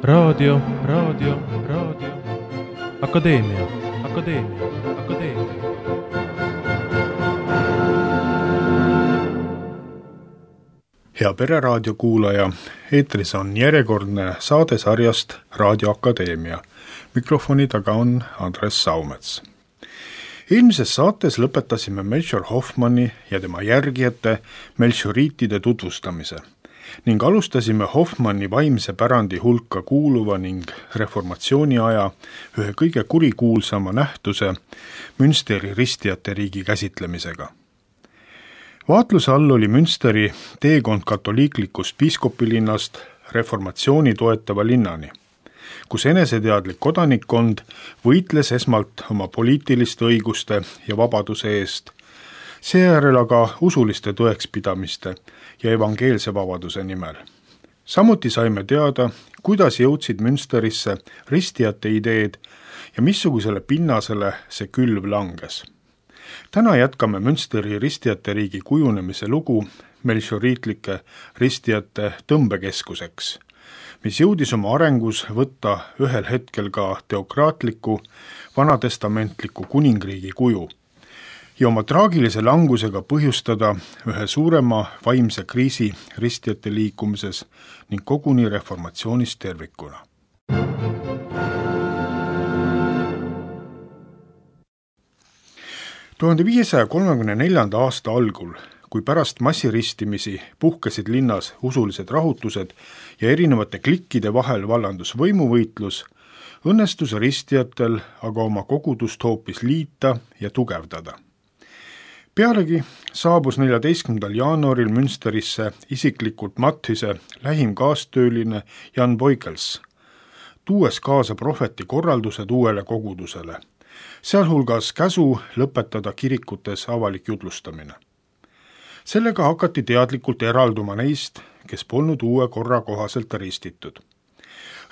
Raadio. Akadeemia. Hea Pereraadio kuulaja, eetris on järjekordne saade sarjast Raadio Akadeemia. Mikrofoni taga on Andres Saumets. Eelmises saates lõpetasime Melchior Hoffmanni ja tema järgijate melchioriitide tutvustamise ning alustasime Hoffmanni vaimse pärandi hulka kuuluva ning reformatsiooni aja ühe kõige kurikuulsama nähtuse Münsteri ristijate riigi käsitlemisega. Vaatluse all oli Münsteri teekond katoliiklikust piiskopilinnast reformatsiooni toetava linnani, kus eneseteadlik kodanikkond võitles esmalt oma poliitiliste õiguste ja vabaduse eest, seejärel aga usuliste tõekspidamiste ja evangeelse vabaduse nimel. Samuti saime teada, kuidas jõudsid Münsterisse ristijate ideed ja missugusele pinnasele see külv langes. Täna jätkame Münsteri ristijate riigi kujunemise lugu melchioriitlike ristijate tõmbekeskuseks, mis jõudis oma arengus võtta ühel hetkel ka teokraatliku, vanatestamentliku kuningriigi kuju ja oma traagilise langusega põhjustada ühe suurema vaimse kriisi ristijate liikumises ning koguni reformatsioonis tervikuna. Tuhande 534. aasta algul, kui pärast massiristimisi puhkesid linnas usulised rahutused ja erinevate klikkide vahel vallandus võimuvõitlus, õnnestus ristijatel aga oma kogudust hoopis liita ja tugevdada. Pealegi saabus 14. jaanuaril Münsterisse isiklikult Matthise lähim kaastööline Jan Voigels, tuues kaasa prohveti korraldused uuele kogudusele, sealhulgas käsu lõpetada kirikutes avalik jutlustamine. Sellega hakati teadlikult eralduma neist, kes polnud uue korra kohaselt ristitud.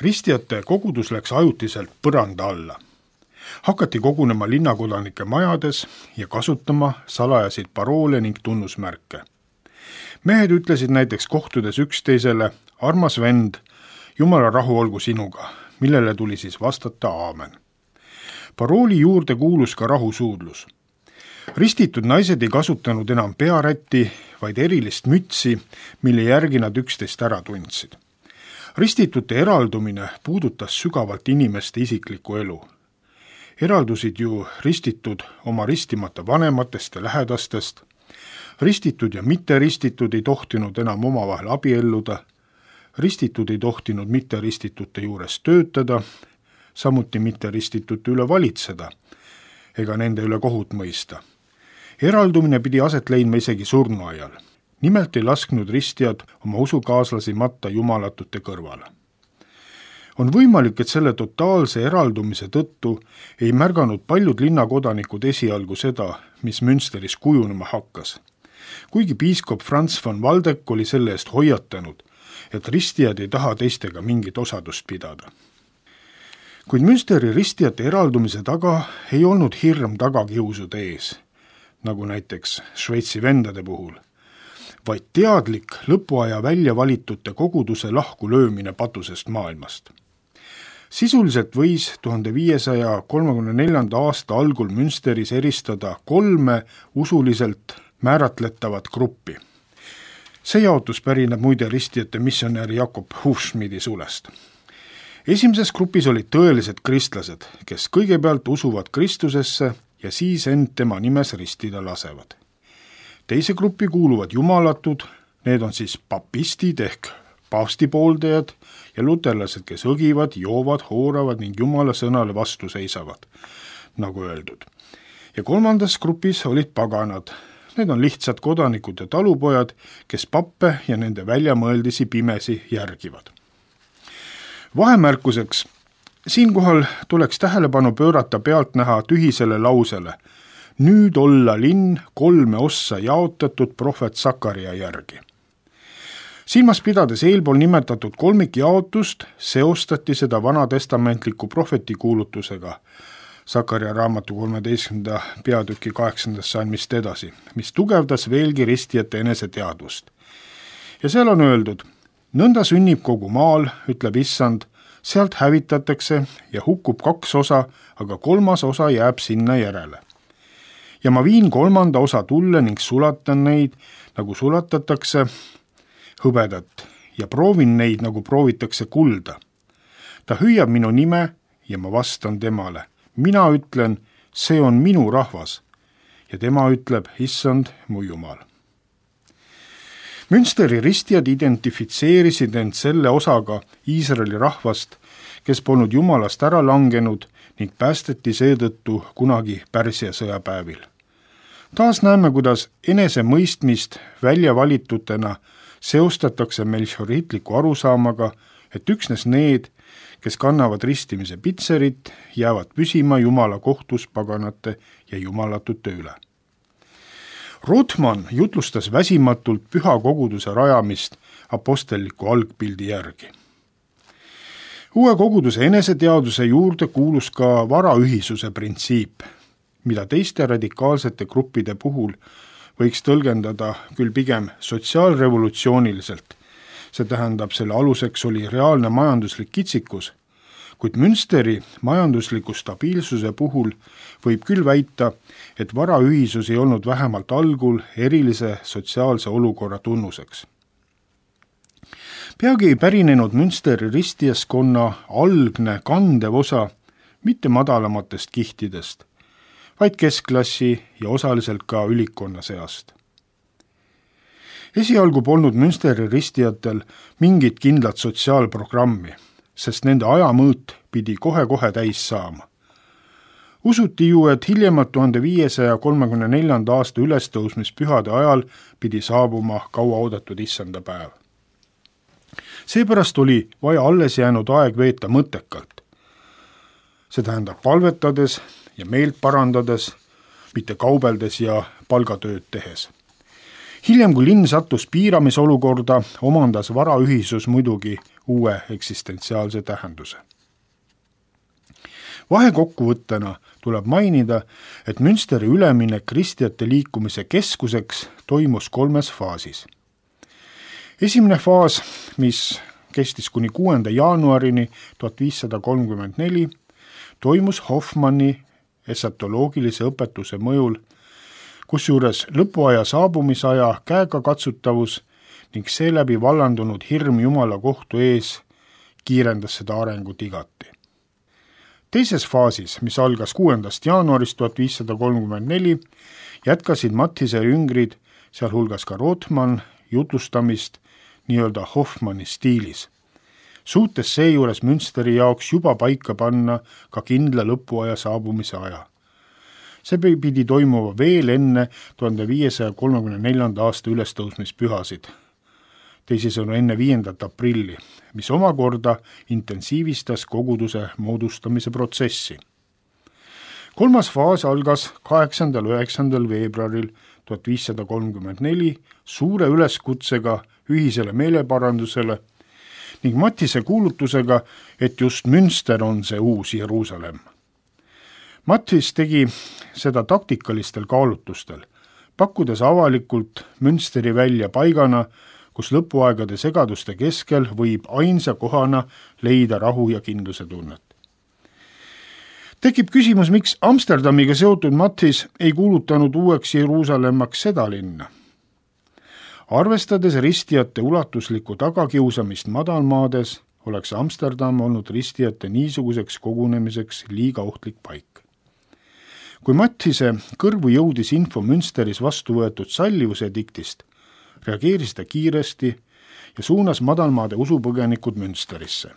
Ristijate kogudus läks ajutiselt põranda alla. Hakati kogunema linnakodanike majades ja kasutama salajasid paroole ning tunnusmärke. Mehed ütlesid näiteks kohtudes üksteisele, armas vend, Jumala rahu olgu sinuga, millele tuli siis vastata aamen. Parooli juurde kuulus ka rahusuudlus. Ristitud naised ei kasutanud enam pearätti, vaid erilist mütsi, mille järgi nad üksteist ära tundsid. Ristitute eraldumine puudutas sügavalt inimeste isiklikku elu. Eraldusid ju ristitud oma ristimata vanematest ja lähedastest, ristitud ja mitteristitud ei tohtinud enam omavahel abielluda, ristitud ei tohtinud mitteristitute juures töötada, samuti mitteristitute üle valitseda ega nende üle kohut mõista. Eraldumine pidi aset leidma isegi surnuaial. Nimelt ei lasknud ristijad oma usukaaslasi matta jumalatute kõrvale. On võimalik, et selle totaalse eraldumise tõttu ei märganud paljud linnakodanikud esialgu seda, mis Münsteris kujunema hakkas. Kuigi piiskop Franz von Waldeck oli selle eest hoiatanud, et ristijad ei taha teistega mingit osadust pidada. Kuid Münsteri ristijate eraldumise taga ei olnud hirm tagakiusude ees, nagu näiteks Šveitsi vendade puhul, vaid teadlik lõpuaja välja valitute koguduse lahku löömine patusest maailmast. Sisuliselt võis 1534. aasta algul Münsteris eristada 3 usuliselt määratletavat gruppi. See jaotus pärineb muide ristijate missionäri Jakob Hufschmidi sulest. Esimeses grupis olid tõelised kristlased, kes kõigepealt usuvad Kristusesse ja siis end tema nimes ristida lasevad. Teise gruppi kuuluvad jumalatud, need on siis papistid ehk paavsti pooldajad ja luterlased, kes õgivad, joovad, hooravad ning Jumala sõnale vastu seisavad, nagu öeldud. Ja kolmandas grupis olid paganad. Need on lihtsad kodanikud ja talupojad, kes pappe ja nende väljamõeldisi pimesi järgivad. Vahemärkuseks, siinkohal tuleks tähelepanu pöörata pealtnäha tühisele lausele. Nüüd olla linn 3 ossa jaotatud prohvet Sakaria järgi. Silmas pidades eelpool nimetatud kolmikjaotust, seostati seda vanatestamentliku prohvetikuulutusega Sakaria raamatu 13. peatüki 8. salmist edasi, mis tugevdas veelgi ristijate eneseteadvust. Ja seal on öeldud, nõnda sünnib kogu maal, ütleb issand, Sealt hävitatakse ja hukkub 2 osa, aga 3. osa jääb sinna järele. Ja ma viin 3. osa tulle ning sulatan neid, nagu sulatatakse hõbedat, ja proovin neid, nagu proovitakse kulda. Ta hüüab minu nime ja ma vastan temale. Mina ütlen, see on minu rahvas. Ja tema ütleb, issand, mu Jumal. Münsteri ristijad identifitseerisid end selle osaga Iisraeli rahvast, kes polnud Jumalast ära langenud ning päästeti seetõttu kunagi Pärsia sõjapäevil. Taas näeme, kuidas enesemõistmist välja valitutena seostatakse melchioriitliku arusaamaga, et üksnes need, kes kannavad ristimise pitserit, jäävad püsima Jumala kohtus paganate ja jumalatute üle. Rothman jutlustas väsimatult püha koguduse rajamist apostelliku algpildi järgi. Uue koguduse eneseteaduse juurde kuulus ka varaühisuse printsiip, mida teiste radikaalsete gruppide puhul võiks tõlgendada küll pigem sotsiaalrevolutsiooniliselt. See tähendab, selle aluseks oli reaalne majanduslik kitsikus, kuid Münsteri majandusliku stabiilsuse puhul võib küll väita, et varaühisus ei olnud vähemalt algul erilise sotsiaalse olukorra tunnuseks. Peagi ei pärinenud Münsteri ristijaskonna algne kandev osa mitte madalamatest kihtidest, vaid keskklassi ja osaliselt ka ülikonna seast. Esialgu polnud Münsteri ristijatel mingit kindlat sotsiaalprogrammi, sest nende ajamõõt pidi kohe-kohe täis saama. Usuti ju, et hiljemalt 1534. aasta ülestõusmispühade ajal pidi saabuma kauaoodatud issanda päev. Seepärast oli vaja alles jäänud aeg veeta mõttekalt. See tähendab palvetades ja meelt parandades, mitte kaubeldes ja palgatööd tehes. Hiljem, kui linn sattus piiramisolukorda, omandas varaühisus muidugi uue eksistentsiaalse tähenduse. Vahekokkuvõttena tuleb mainida, et Münsteri üleminek kristjate liikumise keskuseks toimus 3 faasis. Esimene faas, mis kestis kuni 6. jaanuarini 1534, toimus Hoffmanni esatoloogilise õpetuse mõjul, kusjuures lõpuaja saabumisaja käegakatsutavus ning seeläbi vallandunud hirm Jumala kohtu ees kiirendas seda arengut igati. Teises faasis, mis algas 6. jaanuarist 1534, jätkasid Mattise jüngrid, sealhulgas ka Rothman, jutlustamist nii-öelda Hoffmanni stiilis, suutes seejuures Münsteri jaoks juba paika panna ka kindla lõpuaja saabumise aja. See pidi toimuma veel enne 1534. aasta ülestõusmispühasid, teisisõnu enne 5. aprilli, mis omakorda intensiivistas koguduse moodustamise protsessi. 3. faas algas 8.–9. veebruaril 1534 suure üleskutsega ühisele meeleparandusele ning Mattise kuulutusega, et just Münster on see uus Jeruusalemm. Mattis tegi seda taktikalistel kaalutlustel, pakkudes avalikult Münsteri välja paigana, kus lõpuaegade segaduste keskel võib ainsa kohana leida rahu ja kindluse tunnet. Tekib küsimus, miks Amsterdamiga seotud Mattis ei kuulutanud uueks Jeruusalemmaks seda linna. Arvestades ristijate ulatuslikku tagakiusamist madalmaades, oleks Amsterdam olnud ristijate niisuguseks kogunemiseks liiga ohtlik paik. Kui Mattise kõrvu jõudis info Münsteris vastu võetud sallivuse diktist, reageeris ta kiiresti ja suunas madalmaade usupõgenikud Münsterisse.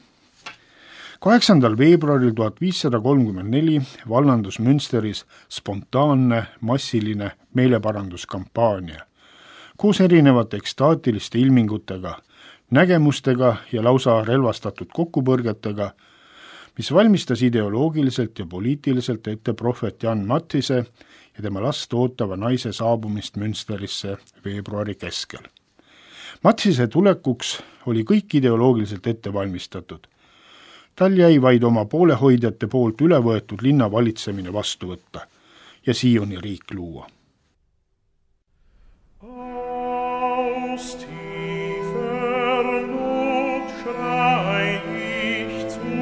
8. veebruaril 1534 vallandus Münsteris spontaanne massiline meeleparanduskampaania, koos erinevate ekstaatiliste ilmingutega, nägemustega ja lausa relvastatud kokkupõrgetega, mis valmistas ideoloogiliselt ja poliitiliselt ette prohvet Jan Mattise ja tema last ootava naise saabumist Münsterisse veebruari keskel. Mattise tulekuks oli kõik ideoloogiliselt ette valmistatud. Tal jäi vaid oma poolehoidjate poolt üle võetud linna valitsemine vastu võtta ja Sioni riik luua. Aus tiefer Not schrei ich zu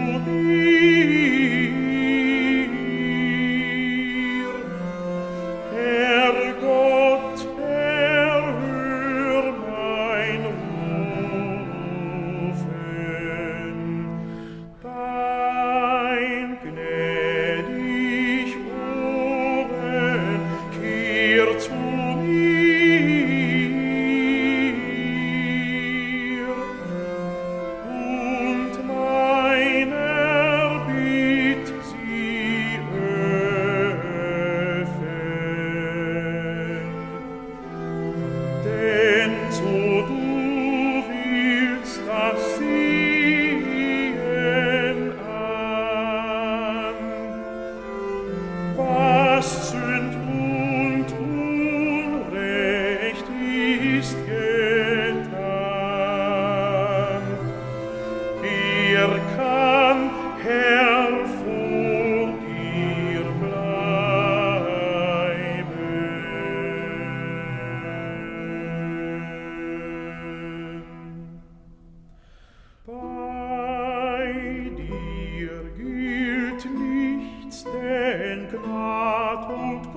Bei dir gilt nichts, denn Gnad und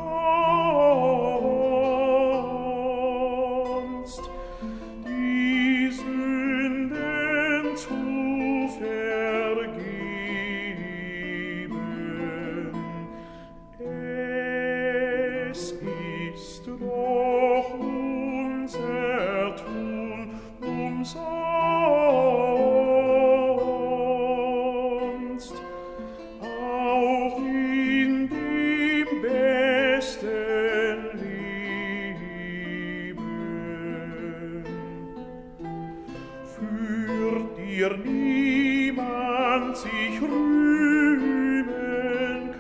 Gunst, die Sünden zu vergeben. Es ist doch unser Tun umsonst, auch in dem besten Leben. Für dir niemand sich rühmen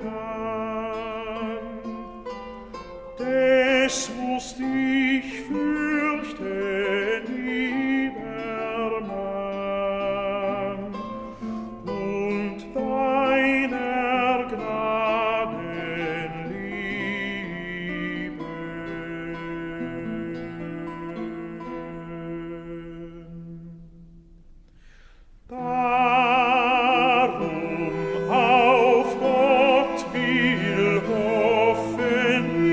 kann, des musst ich fürchten, lieber Mann, und deiner Gnaden lieben. Darum auf Gott will hoffen ich,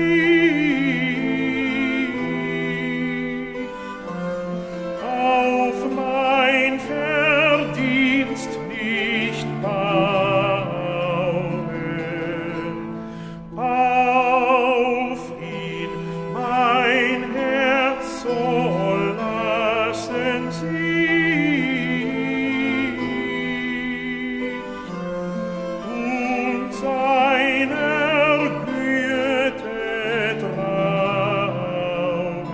auf mein Verdienst nicht bauen, auf ihn mein Herz soll lassen sich und seiner Güte trauen,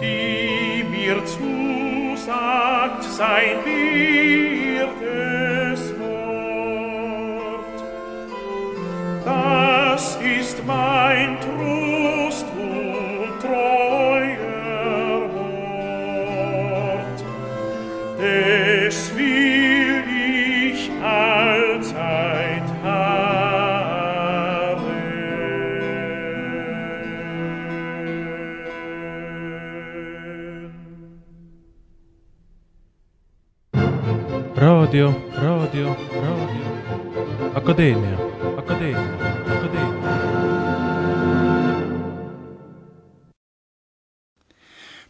die mir zusagt sein wirtes Wort. Das ist mein Trost und treuer Wort. Des will ich allzeit harren. Radio Akadeemia.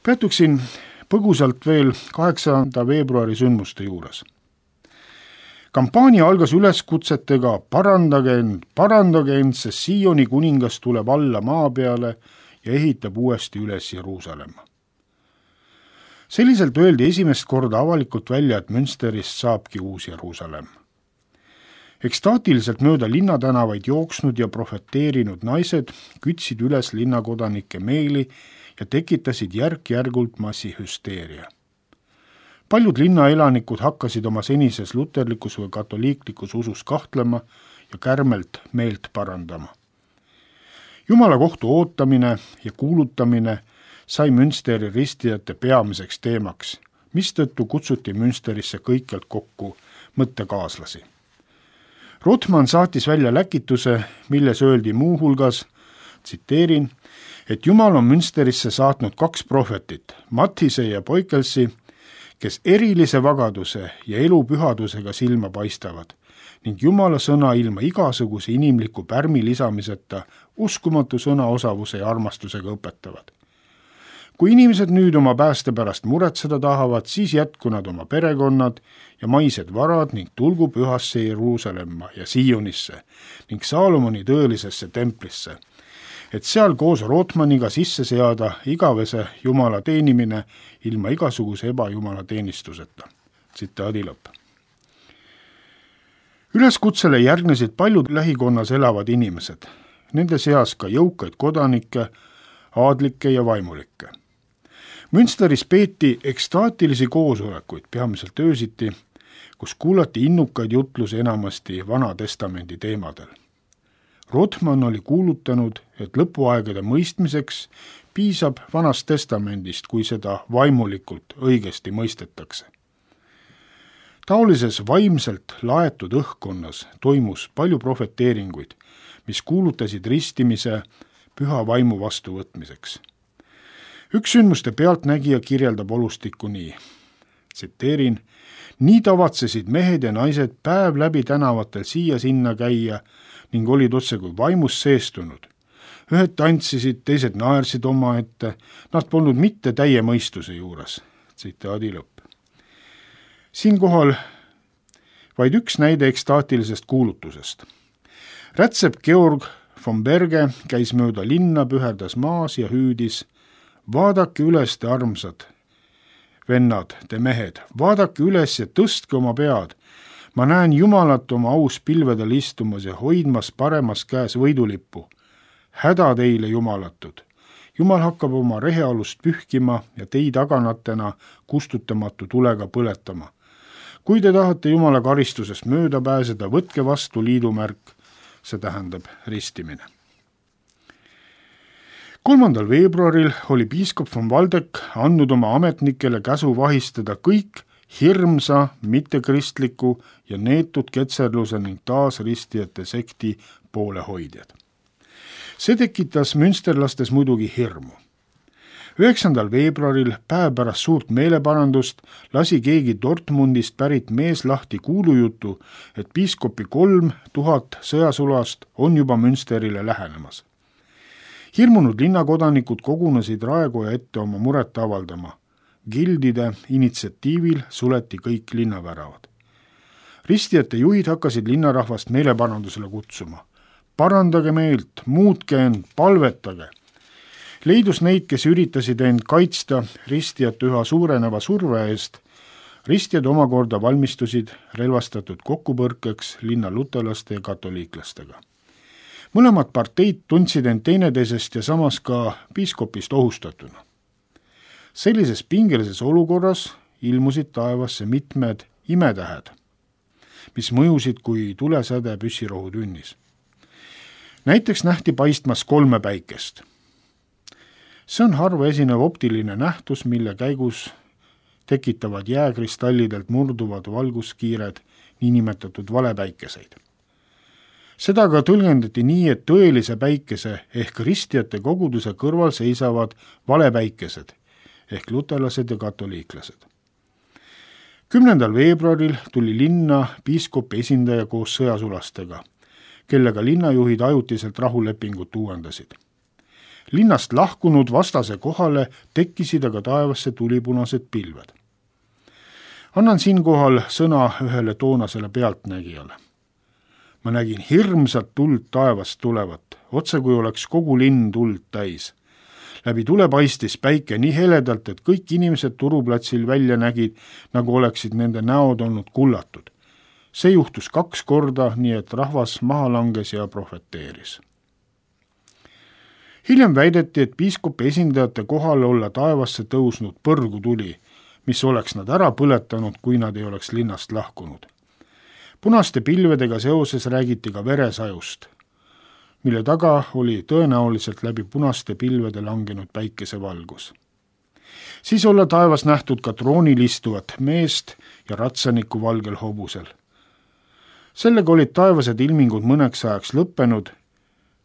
Peatuksin põgusalt veel 8. veebruari sündmuste juures. Kampaania algas üleskutsetega parandage end, sest Sioni kuningas tuleb alla maa peale ja ehitab uuesti üles Jeruusalemma. Selliselt öeldi esimest korda avalikult välja, et Münsterist saabki uus Jeruusalemm. Ekstaatiliselt mööda linnatänavaid jooksnud ja profeteerinud naised kütsid üles linnakodanike meeli ja tekitasid järk-järgult massihüsteeria. Paljud linnaelanikud hakkasid oma senises luterlikus või katoliiklikus usus kahtlema ja kärmelt meelt parandama. Jumala kohtu ootamine ja kuulutamine sai Münsteri ristijate peamiseks teemaks, mistõttu kutsuti Münsterisse kõikjalt kokku mõttekaaslasi. Rothman saatis välja läkituse, milles öeldi muuhulgas, tsiteerin, et Jumal on Münsterisse saatnud 2 prohvetit, Mattise ja Poikelsi, kes erilise vagaduse ja elupühadusega silma paistavad ning Jumala sõna ilma igasuguse inimliku pärmi lisamiseta uskumatu sõnaosavuse ja armastusega õpetavad. Kui inimesed nüüd oma pääste pärast muretseda tahavad, siis jätku nad oma perekonnad ja maised varad ning tulgu pühasse Jeruusalemma ja Sionisse ning Saalomoni tõelisesse templisse, et seal koos Rothmaniga sisse seada igavese Jumala teenimine ilma igasuguse ebajumala teenistuseta. Tsitaadi lõpp. Üleskutsele järgnesid paljud lähikonnas elavad inimesed, nende seas ka jõukaid kodanikke, aadlikke ja vaimulikke. Münsteris peeti ekstaatilisi koosolekuid, peamiselt öösiti, kus kuulati innukaid jutlusi enamasti Vana Testamendi teemadel. Rothman oli kuulutanud, et lõpuaegade mõistmiseks piisab Vanast Testamendist, kui seda vaimulikult õigesti mõistetakse. Taolises vaimselt laetud õhkkonnas toimus palju profeteeringuid, mis kuulutasid ristimise püha vaimu vastuvõtmiseks. Üks sündmuste pealtnägija kirjeldab olustikku nii, tsiteerin: nii tavatsesid mehed ja naised päev läbi tänavatel siia-sinna käia ning olid otse kui vaimus seestunud. Ühed tantsisid, teised naersid omaette, nad polnud mitte täie mõistuse juures. Tsitaadi lõpp. Siinkohal vaid üks näide ekstaatilisest kuulutusest. Rätsep Georg von Berge käis mööda linna, püherdas maas ja hüüdis: vaadake üles, te armsad vennad, te mehed, vaadake üles ja tõstke oma pead. Ma näen Jumalat oma aus pilvedel istumas ja hoidmas paremas käes võidulippu. Häda teile, jumalatud! Jumal hakkab oma rehealust pühkima ja teid aganatena kustutamatu tulega põletama. Kui te tahate Jumala karistusest mööda pääseda, võtke vastu liidumärk, see tähendab ristimine. 3. veebruaril oli piiskop von Waldeck andnud oma ametnikele käsu vahistada kõik hirmsa, mittekristliku ja neetud ketserluse ning taasristijate sekti poolehoidjad. See tekitas münsterlastes muidugi hirmu. 9. veebruaril, päev pärast suurt meeleparandust, lasi keegi Dortmundist pärit mees lahti kuulujutu, et piiskopi 3000 sõjasulast on juba Münsterile lähenemas. Hirmunud linnakodanikud kogunesid raekoja ette oma muret avaldama. Gildide initsiatiivil suleti kõik linnaväravad. Ristijate juhid hakkasid linnarahvast meeleparandusele kutsuma. Parandage meelt, muutke end, palvetage. Leidus neid, kes üritasid end kaitsta ristijate üha suureneva surve eest. Ristijad omakorda valmistusid relvastatud kokkupõrkeks linna lutelaste ja katoliiklastega. Mõlemad parteid tundsid end teineteisest ja samas ka piiskopist ohustatuna. Sellises pingelises olukorras ilmusid taevasse mitmed imetähed, mis mõjusid kui tulesäde püssirohutünnis. Näiteks nähti paistmas 3 päikest. See on harva esinev optiline nähtus, mille käigus tekitavad jääkristallidelt murduvad valguskiired, niinimetatud valepäikeseid. Seda ka tõlgendati nii, et tõelise päikese ehk ristijate koguduse kõrval seisavad valepäikesed ehk lutelased ja katoliiklased. 10. veebruaril tuli linna piiskopi esindaja koos sõjasulastega, kellega linnajuhid ajutiselt rahulepingut uuendasid. Linnast lahkunud vastase kohale tekkisid aga taevasse tulipunased pilved. Annan siinkohal sõna ühele toonasele pealtnägijale. Ma nägin hirmsat tuld taevast tulevat, otse kui oleks kogu linn tuld täis. Läbi tule paistis päike nii heledalt, et kõik inimesed turuplatsil välja nägid, nagu oleksid nende näod olnud kullatud. See juhtus 2 korda, nii et rahvas maha langes ja prohveteeris. Hiljem väideti, et piiskopi esindajate kohal olla taevasse tõusnud põrgutuli, mis oleks nad ära põletanud, kui nad ei oleks linnast lahkunud. Punaste pilvedega seoses räägiti ka veresajust, mille taga oli tõenäoliselt läbi punaste pilvede langenud päikesevalgus. Siis olla taevas nähtud ka troonil istuvat meest ja ratsaniku valgel hobusel. Sellega olid taevased ilmingud mõneks ajaks lõppenud,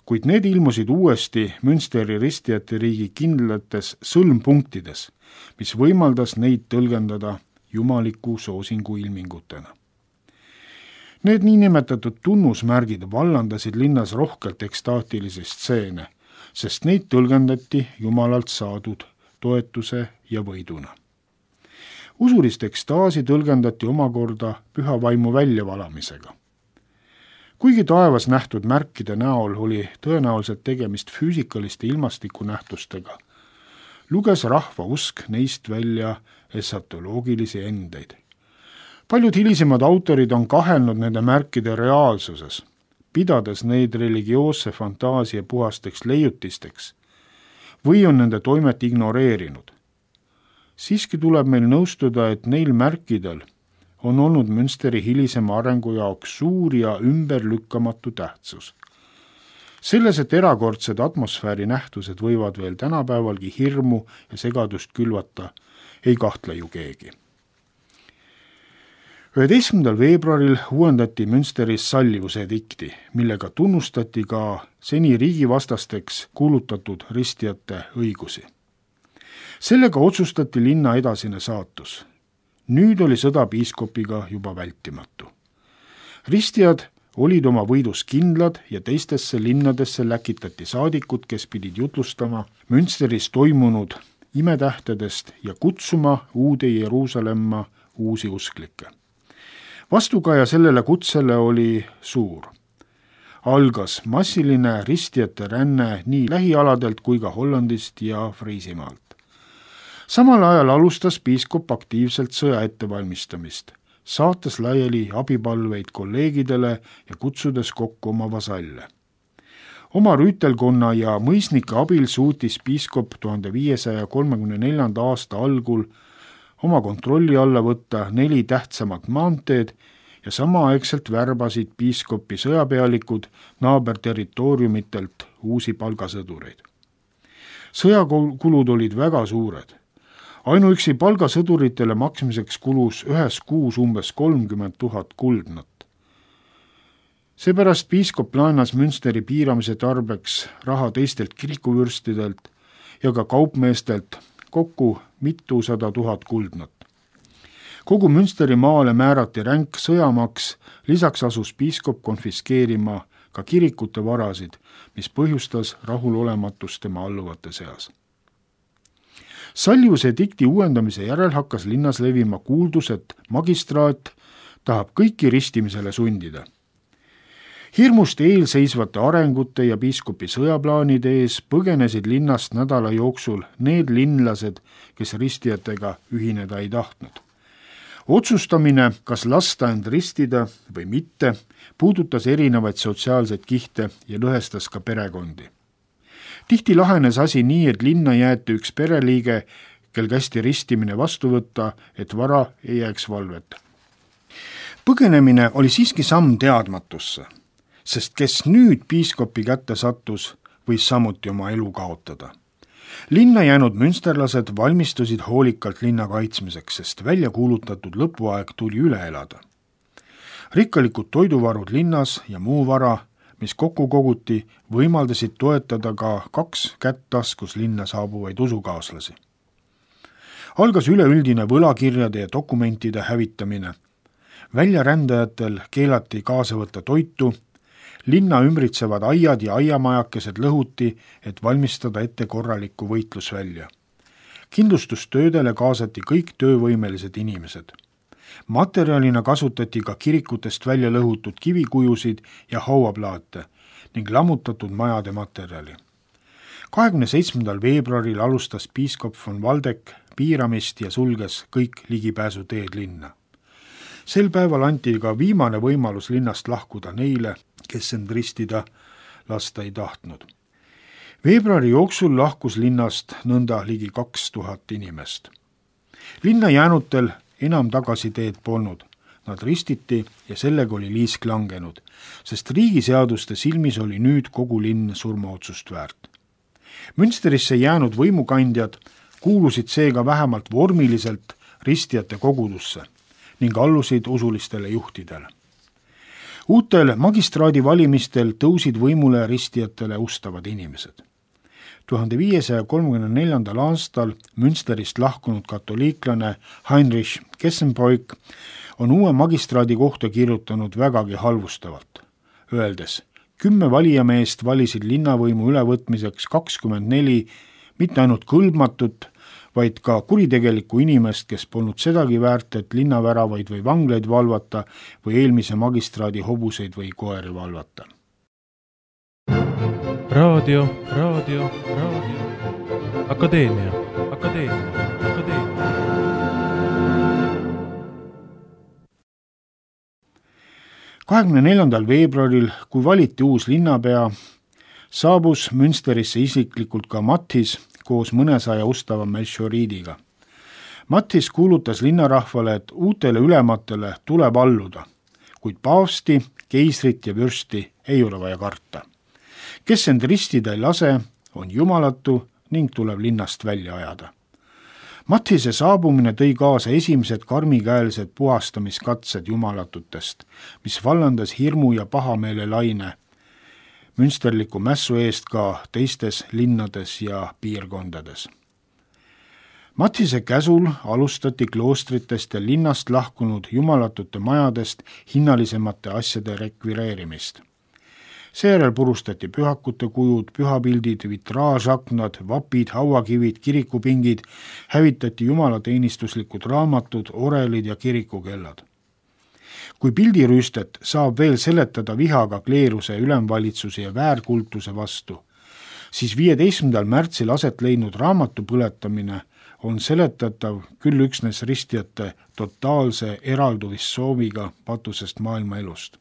kuid need ilmusid uuesti Münsteri ristijate riigi kindlates sõlmpunktides, mis võimaldas neid tõlgendada jumaliku soosingu ilmingutena. Need niinimetatud tunnusmärgid vallandasid linnas rohkelt ekstaatilisi stseene, sest neid tõlgendati Jumalalt saadud toetuse ja võiduna. Usulist ekstaasi tõlgendati omakorda püha vaimu väljavalamisega. Kuigi taevas nähtud märkide näol oli tõenäoliselt tegemist füüsikaliste ilmastikunähtustega, luges rahva usk neist välja esatoloogilisi endeid. Paljud hilisemad autorid on kahelnud nende märkide reaalsuses, pidades neid religioosse fantaasia puhasteks leiutisteks või on nende toimet ignoreerinud. Siiski tuleb meil nõustuda, et neil märkidel on olnud Münsteri hilisema arengu jaoks suur ja ümberlükkamatu tähtsus. Selles, et erakordsed atmosfääri nähtused võivad veel tänapäevalgi hirmu ja segadust külvata, ei kahtle ju keegi. 11. veebruaril uuendati Münsteris sallivuse edikti, millega tunnustati ka seni riigivastasteks kuulutatud ristijate õigusi. Sellega otsustati linna edasine saatus. Nüüd oli sõda piiskopiga juba vältimatu. Ristijad olid oma võidus kindlad ja teistesse linnadesse läkitati saadikud, kes pidid jutlustama Münsteris toimunud imetähtedest ja kutsuma uude Jeruusalemma uusi usklikke. Vastukaja sellele kutsele oli suur. Algas massiline ristijate ränne nii lähialadelt kui ka Hollandist ja Friisimaalt. Samal ajal alustas piiskop aktiivselt sõja ettevalmistamist, saates laiali abipalveid kolleegidele ja kutsudes kokku oma vasalle. Oma rüütelkonna ja mõisnike abil suutis piiskop 1534. aasta algul oma kontrolli alla võtta 4 tähtsamat maanteed ja samaaegselt värbasid piiskopi sõjapealikud naaberterritooriumitelt uusi palgasõdureid. Sõjakulud olid väga suured. Ainuüksi palgasõduritele maksmiseks kulus ühes kuus umbes 30 000 kuldnat. Seepärast piiskop laenas Münsteri piiramise tarbeks raha teistelt kirikuvürstidelt ja ka kaupmeestelt kokku mitusada 000 kuldnat. Kogu Münsteri maale määrati ränk sõjamaks, lisaks asus piiskop konfiskeerima ka kirikute varasid, mis põhjustas rahulolematust tema alluvate seas. Sallivuse dikti uuendamise järel hakkas linnas levima kuuldus, et magistraat tahab kõiki ristimisele sundida. Hirmust eelseisvate arengute ja piiskopi sõjaplaanide ees põgenesid linnast nädala jooksul need linlased, kes ristijatega ühineda ei tahtnud. Otsustamine, kas lasta end ristida või mitte, puudutas erinevaid sotsiaalseid kihte ja lõhestas ka perekondi. Tihti lahenes asi nii, et linna jäeti üks pereliige, kel kästi ristimine vastu võtta, et vara ei jääks valvet. Põgenemine oli siiski samm teadmatusse, sest kes nüüd piiskopi kätte sattus, võis samuti oma elu kaotada. Linna jäänud münsterlased valmistusid hoolikalt linna kaitsmiseks, sest välja kuulutatud lõpuaeg tuli üle elada. Rikkalikud toiduvarud linnas ja muu vara, mis kokku koguti, võimaldasid toetada ka 2 kätt taskus linna saabuvaid usukaaslasi. Algas üleüldine võlakirjade ja dokumentide hävitamine. Väljarändajatel keelati kaasa võtta toitu, linna ümbritsevad aiad ja aiamajakesed lõhuti, et valmistada ette korralikku võitlusvälja. Kindlustustöödele kaasati kõik töövõimelised inimesed. Materjalina kasutati ka kirikutest välja lõhutud kivikujusid ja hauaplaate ning lammutatud majade materjali. 27. veebruaril alustas piiskop von Waldeck piiramist ja sulges kõik ligipääsuteed linna. Sel päeval anti ka viimane võimalus linnast lahkuda neile, kes end ristida lasta ei tahtnud. Veebruari jooksul lahkus linnast nõnda ligi 2000 inimest. Linna jäänutel enam tagasiteed polnud. Nad ristiti ja sellega oli liisk langenud, sest riigiseaduste silmis oli nüüd kogu linn surmaotsust väärt. Münsterisse jäänud võimukandjad kuulusid seega vähemalt vormiliselt ristijate kogudusse ning allusid usulistele juhtidele. Uutel magistraadi valimistel tõusid võimule ristijatele ustavad inimesed. 1534. aastal Münsterist lahkunud katoliiklane Heinrich Kessenbroich on uue magistraadi kohta kirjutanud vägagi halvustavalt, öeldes: 10 valijameest valisid linnavõimu ülevõtmiseks 24 mitte ainult kõlbmatut, vaid ka kuritegelikku inimest, kes polnud sedagi väärt, et linnaväravaid või vanglaid valvata või eelmise magistraadi hobuseid või koeri valvata. Raadio. Akadeemia. 24. veebruaril, kui valiti uus linnapea, saabus Münsterisse isiklikult ka Mathis koos mõnesaja ustava Melchioridiga. Mathis kuulutas linnarahvale, et uutele ülematele tuleb alluda, kuid paavsti, keisrit ja vürsti ei ole vaja karta. Kes end ristida ei lase, on jumalatu ning tuleb linnast välja ajada. Mathise saabumine tõi kaasa esimesed karmikäelsed puhastamiskatsed jumalatutest, mis vallandas hirmu ja pahameele laine münsterliku mässu eest ka teistes linnades ja piirkondades. Mathise käsul alustati kloostritest ja linnast lahkunud jumalatute majadest hinnalisemate asjade rekvireerimist. Seejärel purustati pühakute kujud, pühapildid, vitraažaknad, vapid, hauakivid, kirikupingid, hävitati jumalateenistuslikud raamatud, orelid ja kirikukellad. Kui pildirüüstet saab veel seletada vihaga kleeruse, ülemvalitsuse ja väärkultuse vastu, siis 15. märtsil aset leidnud raamatu põletamine on seletatav küll üksnes ristijate totaalse eralduvissooviga patusest maailma elust.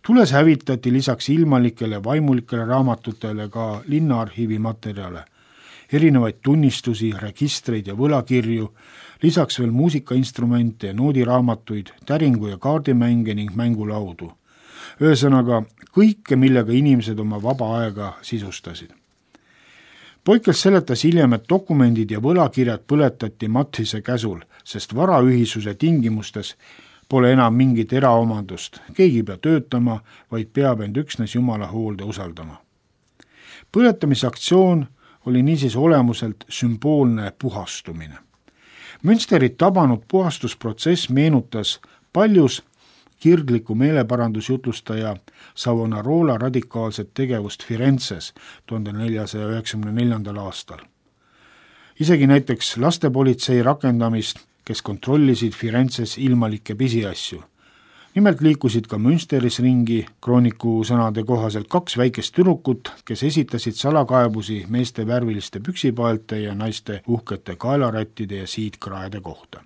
Tules hävitati lisaks ilmalikele vaimulikele raamatutele ka linnaarhiivi materjale, erinevaid tunnistusi, registreid ja võlakirju, lisaks veel muusikainstrumente, noodiraamatuid, täringu- ja kaardimänge ning mängulaudu. Ühesõnaga kõike, millega inimesed oma vaba aega sisustasid. Poikels seletas hiljem, et dokumendid ja võlakirjad põletati Mathise käsul, sest varaühisuse tingimustes pole enam mingit eraomandust, keegi ei pea töötama, vaid peab end üksnes Jumala hoolde usaldama. Põletamisaktsioon oli niisiis olemuselt sümboolne puhastumine. Münsterit tabanud puhastusprotsess meenutas paljus kirgliku meeleparandusjutlustaja Savonarola radikaalset tegevust Firenzes 1494. aastal. Isegi näiteks lastepolitsei rakendamist, kes kontrollisid Firenzes ilmalikke pisiasju. Nimelt liikusid ka Münsteris ringi krooniku sõnade kohaselt 2 väikest tüdrukut, kes esitasid salakaebusi meeste värviliste püksipaelte ja naiste uhkete kaelarättide ja siidkraede kohta.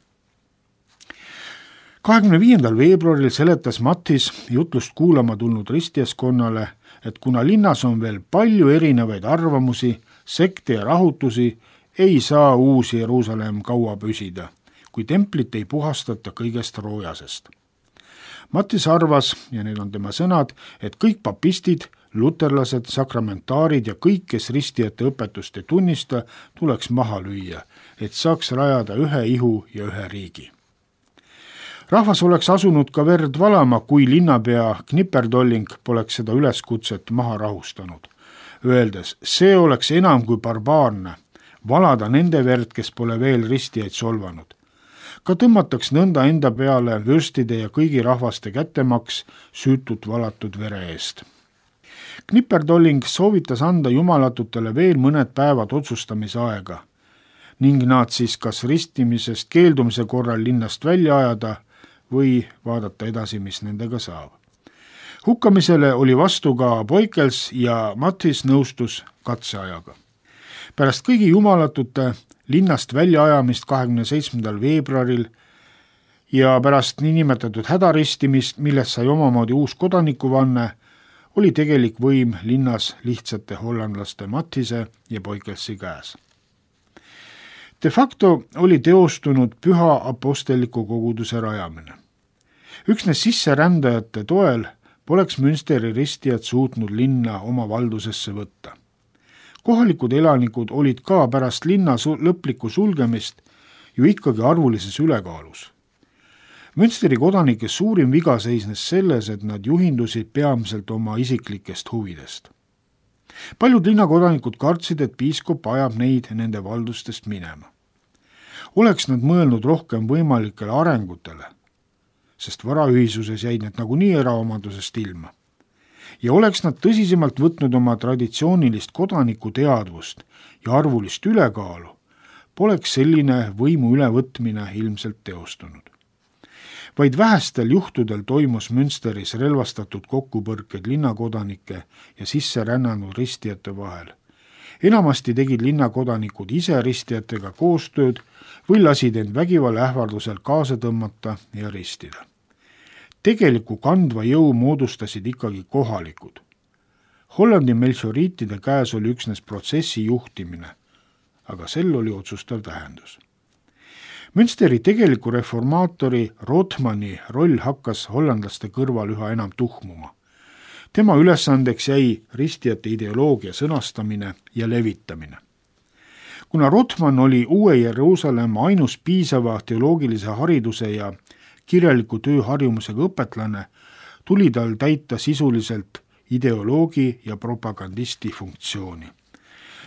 25. veebruaril seletas Mathis jutlust kuulama tulnud ristijaskonnale, et kuna linnas on veel palju erinevaid arvamusi, sekte ja rahutusi, ei saa uus Jeruusalemm kaua püsida, kui templit ei puhastata kõigest roojasest. Mathis arvas, ja need on tema sõnad, et kõik papistid, luterlased, sakramentaarid ja kõik, kes ristijate õpetust ei tunnista, tuleks maha lüüa, et saaks rajada ühe ihu ja ühe riigi. Rahvas oleks asunud ka verd valama, kui linnapea Knipperdolling poleks seda üleskutset maha rahustanud, öeldes, see oleks enam kui barbaarne, valada nende verd, kes pole veel ristijaid solvanud. Ka tõmmataks nõnda enda peale vürstide ja kõigi rahvaste kättemaks süütut valatud vere eest. Knipperdolling soovitas anda jumalatutele veel mõned päevad otsustamisaega ning nad siis kas ristimisest keeldumise korral linnast välja ajada või vaadata edasi, mis nendega saab. Hukkamisele oli vastu ka Poikels ja Mathis nõustus katseajaga. Pärast kõigi jumalatute linnast väljaajamist 27. veebruaril ja pärast niinimetatud hädaristimist, millest sai omamoodi uus kodanikuvanne, oli tegelik võim linnas lihtsate hollandlaste Mathise ja Poikelsi käes. De facto oli teostunud püha apostelliku koguduse rajamine. Üksnes sisserändajate toel poleks Münsteri ristijad suutnud linna oma valdusesse võtta. Kohalikud elanikud olid ka pärast linna lõplikku sulgemist ju ikkagi arvulises ülekaalus. Münsteri kodanike suurim viga seisnes selles, et nad juhindusid peamiselt oma isiklikest huvidest. Paljud linnakodanikud kartsid, et piiskop ajab neid nende valdustest minema. Oleks nad mõelnud rohkem võimalikele arengutele, sest varaühisuses jäid need nagunii eraomandusest ilma. Ja oleks nad tõsisemalt võtnud oma traditsioonilist kodanikuteadvust ja arvulist ülekaalu, poleks selline võimu ülevõtmine ilmselt teostunud. Vaid vähestel juhtudel toimus Münsteris relvastatud kokkupõrked linnakodanike ja sisserännanud ristijate vahel. Enamasti tegid linnakodanikud ise ristijatega koostööd või lasid end vägivalla ähvardusel kaasa tõmmata ja ristida. Tegeliku kandva jõu moodustasid ikkagi kohalikud. Hollandi melchioriitide käes oli üksnes protsessi juhtimine, aga sel oli otsustav tähendus. Münsteri tegeliku reformaatori Rothmanni roll hakkas hollandlaste kõrval üha enam tuhmuma. Tema ülesandeks jäi ristijate ideoloogia sõnastamine ja levitamine. Kuna Rothmann oli uue Jeruusalemma ainus piisava teoloogilise hariduse ja kirjaliku tööharjumusega õpetlane, tuli tal täita sisuliselt ideoloogi ja propagandisti funktsiooni.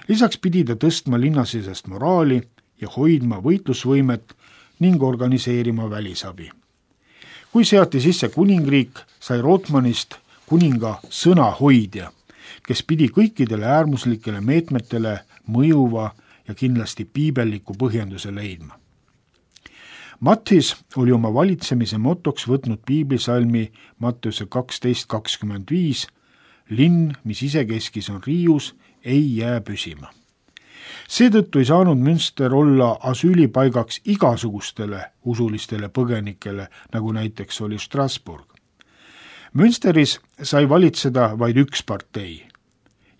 Lisaks pidi ta tõstma linnasisest moraali ja hoidma võitlusvõimet ning organiseerima välisabi. Kui seati sisse kuningriik, sai Rothmannist kuninga sõnahoidja, kes pidi kõikidele äärmuslikele meetmetele mõjuva ja kindlasti piibelliku põhjenduse leidma. Matthies oli oma valitsemise motoks võtnud piiblisalmi Matteuse 12:25, linn, mis isekeskis on riius, ei jää püsima. Seetõttu ei saanud Münster olla asüülipaigaks igasugustele usulistele põgenikele, nagu näiteks oli Strasbourg. Münsteris sai valitseda vaid üks partei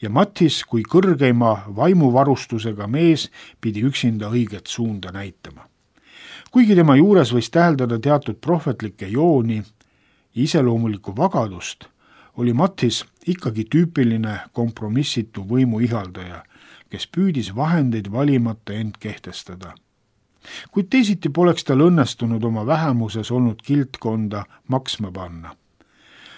ja Matthies kui kõrgeima vaimuvarustusega mees pidi üksinda õiget suunda näitama. Kuigi tema juures võis täheldada teatud prohvetlikke jooni ja iseloomulikku vagadust, oli Matthies ikkagi tüüpiline kompromissitu võimu ihaldaja, kes püüdis vahendeid valimata end kehtestada. Kuid teisiti poleks tal õnnestunud oma vähemuses olnud kildkonda maksma panna.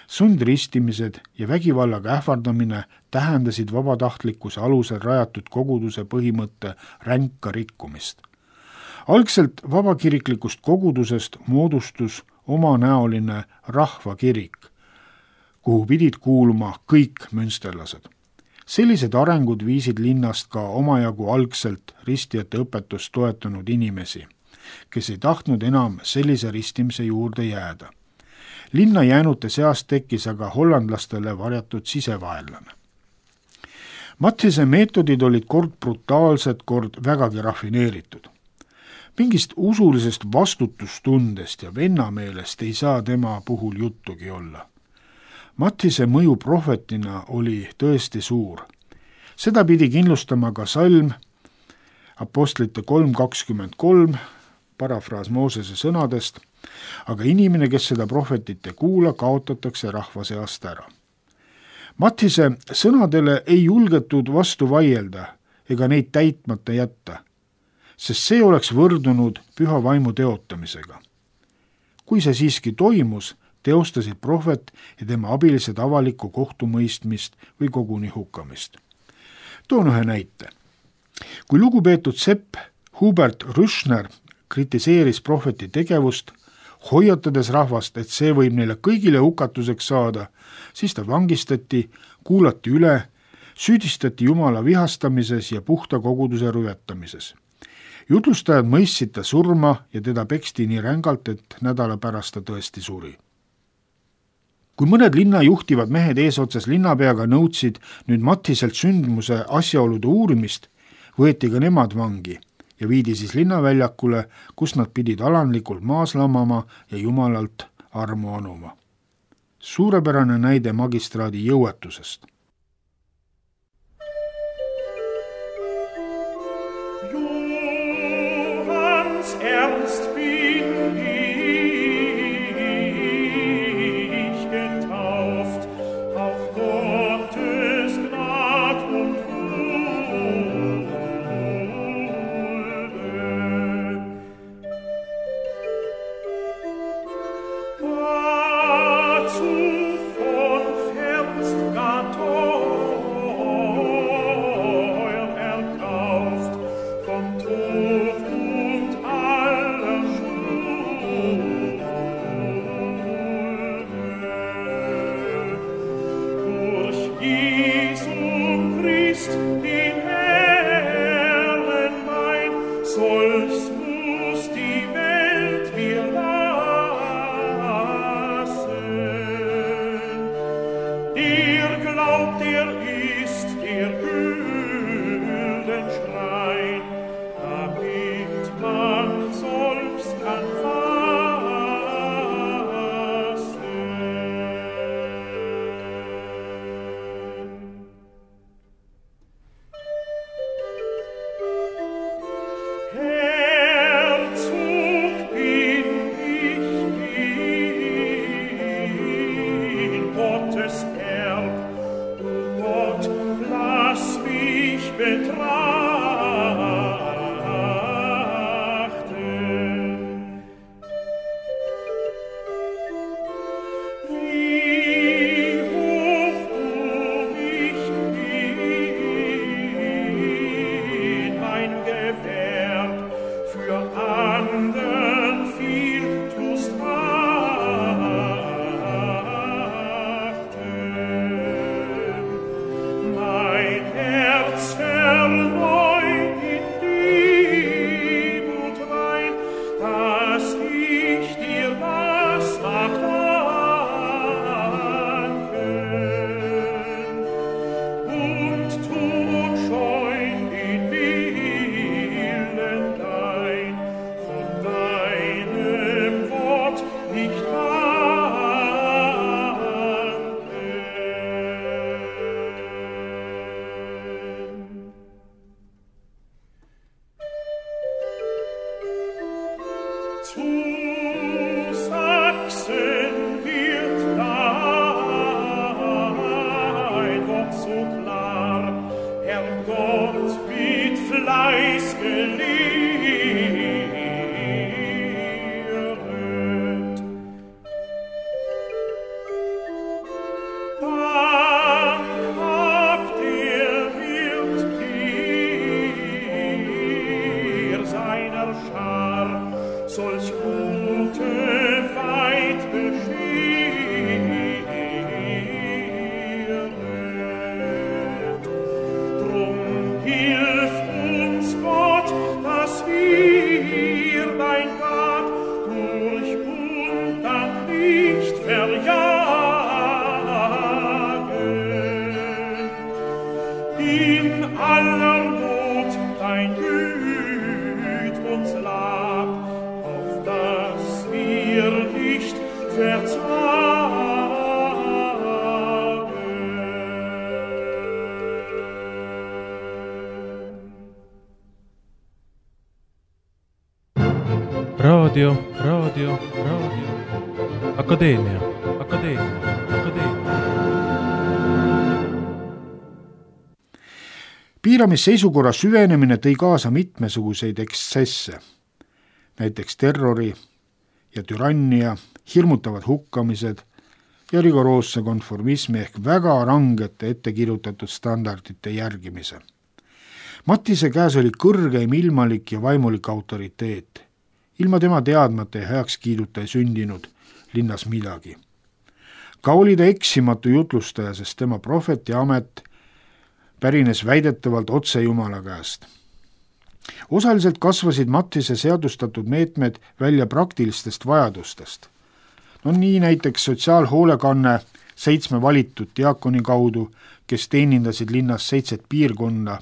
Sundristimised ja vägivallaga ähvardamine tähendasid vabatahtlikkuse alusel rajatud koguduse põhimõtte ränka rikkumist. Algselt vabakiriklikust kogudusest moodustus omanäoline rahvakirik, kuhu pidid kuuluma kõik münsterlased. Sellised arengud viisid linnast ka omajagu algselt ristijate õpetust toetanud inimesi, kes ei tahtnud enam sellise ristimise juurde jääda. Linna jäänute seast tekkis aga hollandlastele varjatud sisevaenlane. Mathiese meetodid olid kord brutaalsed, kord vägagi rafineeritud. Mingist usulisest vastutustundest ja vennameelest ei saa tema puhul juttugi olla. Mathiese mõju prohvetina oli tõesti suur. Seda pidi kindlustama ka salm Apostlite 3:23, parafraas Moosese sõnadest, aga inimene, kes seda prohvetit ei kuula, kaotatakse rahva seast ära. Mathiese sõnadele ei julgetud vastu vaielda ega neid täitmata jätta, sest see oleks võrdunud püha vaimu teotamisega. Kui see siiski toimus, teostasid prohvet ja tema abilised avalikku kohtumõistmist või koguni hukkamist. Toon ühe näite. Kui lugupeetud sepp Hubert Rüschner kritiseeris prohveti tegevust, hoiatades rahvast, et see võib neile kõigile hukatuseks saada, siis ta vangistati, kuulati üle, süüdistati Jumala vihastamises ja puhta koguduse rüvetamises. Jutlustajad mõistsid ta surma ja teda peksti nii rängalt, et nädala pärast ta tõesti suri. Kui mõned linna juhtivad mehed eesotsas linnapeaga nõudsid nüüd Mathiselt sündmuse asjaolude uurimist, võeti ka nemad vangi ja viidi siis linnaväljakule, kus nad pidid alandlikult maas lamama ja Jumalalt armu anuma. Suurepärane näide magistraadi jõuetusest. Johans ernst bin ich getauft auf Gottes Gnad und Zu Sachsen wird dein Wort so klar, Herr Gott mit Fleiß gelehrt. Dank habt ihr Wirt ihr seiner Schar, solch gute weit bescheret. Drum hilf uns Gott, dass wir dein Gab durch Undank nicht verjagen. In aller Not dein Güt uns lab, auf dass wir nicht verzagen. Radio. Akadeemia. Piiramisseisukorra süvenemine tõi kaasa mitmesuguseid ekstsesse, näiteks terrori ja türannia, hirmutavad hukkamised ja rigoroosse konformismi ehk väga rangete ettekirjutatud standardite järgimise. Mattise käes oli kõrgeim ilmalik ja vaimulik autoriteet. Ilma tema teadmata ja heakskiiduta ei sündinud linnas midagi. Ka oli ta eksimatu jutlustaja, sest tema prohveti amet pärines väidetavalt otse Jumala käest. Osaliselt kasvasid Mattise seadustatud meetmed välja praktilistest vajadustest. Nii näiteks sotsiaalhoolekanne 7 valitud diakoni kaudu, kes teenindasid linnas 7 piirkonna,